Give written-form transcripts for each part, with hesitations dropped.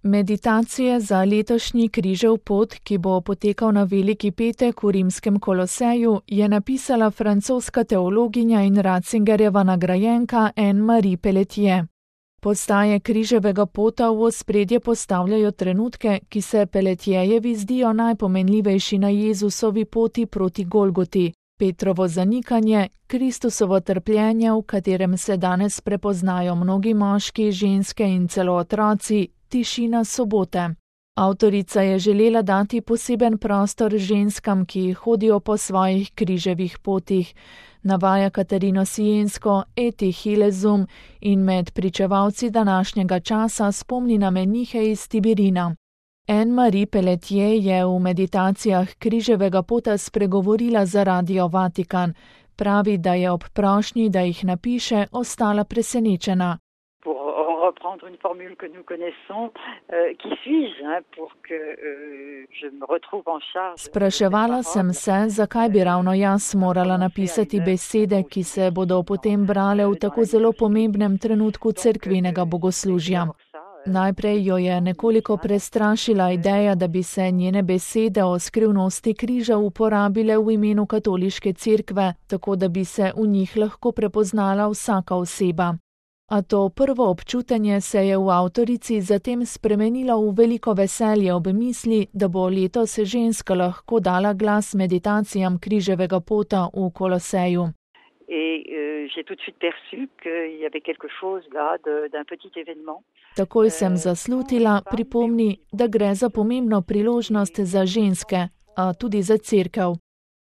Meditacije za letošnji križev pot, ki bo potekal na Veliki petek v rimskem Koloseju, je napisala francoska teologinja in Ratzingerjeva nagrajenka Anne-Marie Pelletier. Postaje križevega pota v ospredje postavljajo trenutke, ki se Pelletierjevi zdijo najpomenljivejši na Jezusovi poti proti Golgoti. Petrovo zanikanje, Kristusovo trpljenje, v katerem se danes prepoznajo mnogi moški, ženske in celo otroci, tišina sobote. Avtorica je želela dati poseben prostor ženskam, ki hodijo po svojih križevih potih, navaja Katarino Siensko, Eti Hilezum in med pričevalci današnjega časa spomni na menihe iz Tibirina. Anne-Marie Pelletier je v meditacijah križevega pota spregovorila za Radio Vatikan. Pravi, da je ob prošnji, da jih napiše, ostala presenečena. Reprendre une formule que nous connaissons, qui suis-je pour que je me retrouve en charge. Spraševala sem se, zakaj bi ravno jaz morala napisati besede, ki se bodo potem brale v tako zelo pomembnem trenutku cerkvenega bogoslužja. Najprej jo je nekoliko prestrašila ideja, da bi se njene besede o skrivnosti križa uporabile v imenu katoliške cerkve, tako da bi se v njih lahko prepoznala vsaka oseba. A to prvo občutenje se je v avtorici zatem spremenilo v veliko veselje ob misli, da bo letos ženska lahko dala glas meditacijam križevega pota v Koloseju. Takoj sem zaslutila, pripomni, da gre za pomembno priložnost za ženske, a tudi za cerkev.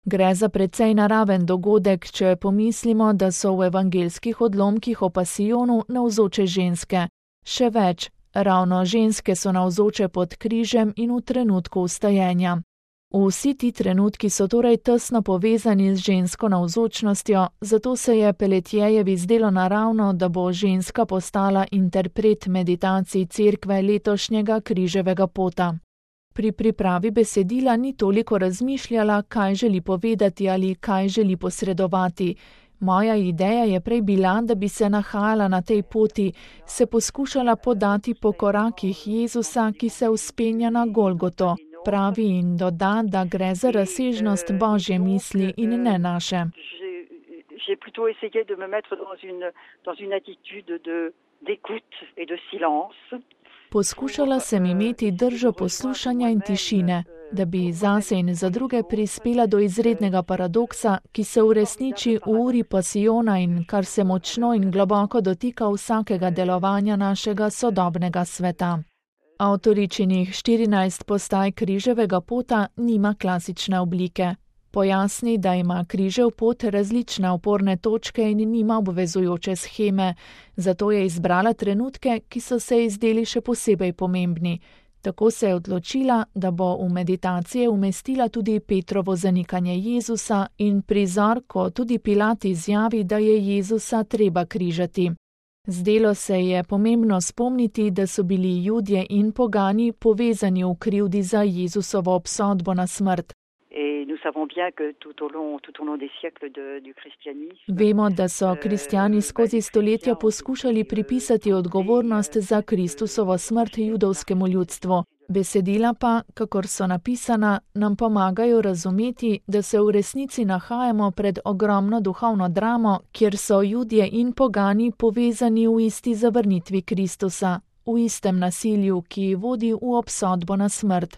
Gre za precej naraven dogodek, če pomislimo, da so v evangelskih odlomkih o pasijonu navzoče ženske. Še več, ravno ženske so navzoče pod križem in v trenutku vstajenja. Vsi ti trenutki so torej tesno povezani z žensko navzočnostjo, zato se je Pelletierjevi zdelo naravno, da bo ženska postala interpret meditacij cerkve letošnjega križevega pota. Pri pripravi besedila ni toliko razmišljala, kaj želi povedati ali kaj želi posredovati. Moja ideja je prej bila, da bi se nahajala na tej poti, se poskušala podati po korakih Jezusa, ki se vzpenja na Golgoto, pravi in doda, da gre za razsežnost Božje misli in ne naše. Poskušala sem imeti držo poslušanja in tišine, da bi zase in za druge prispela do izrednega paradoksa, ki se uresniči v uri pasijona in kar se močno in globoko dotika vsakega delovanja našega sodobnega sveta. Avtoričinih 14 postaj križevega pota nima klasične oblike. Pojasni, da ima križev pot različne oporne točke in nima obvezujoče sheme, zato je izbrala trenutke, ki so se ji zdeli še posebej pomembni. Tako se je odločila, da bo v meditacije umestila tudi Petrovo zanikanje Jezusa in prizor, ko tudi Pilat izjavi, da je Jezusa treba križati. Zdelo se je pomembno spomniti, da so bili Judje in pogani povezani v krivdi za Jezusovo obsodbo na smrt. Vemo, da so kristjani skozi stoletja poskušali pripisati odgovornost za Kristusovo smrt judovskemu ljudstvu. Besedila pa, kakor so napisana, nam pomagajo razumeti, da se v resnici nahajamo pred ogromno duhovno dramo, kjer so Judje in pogani povezani v isti zavrnitvi Kristusa, v istem nasilju, ki vodi v obsodbo na smrt.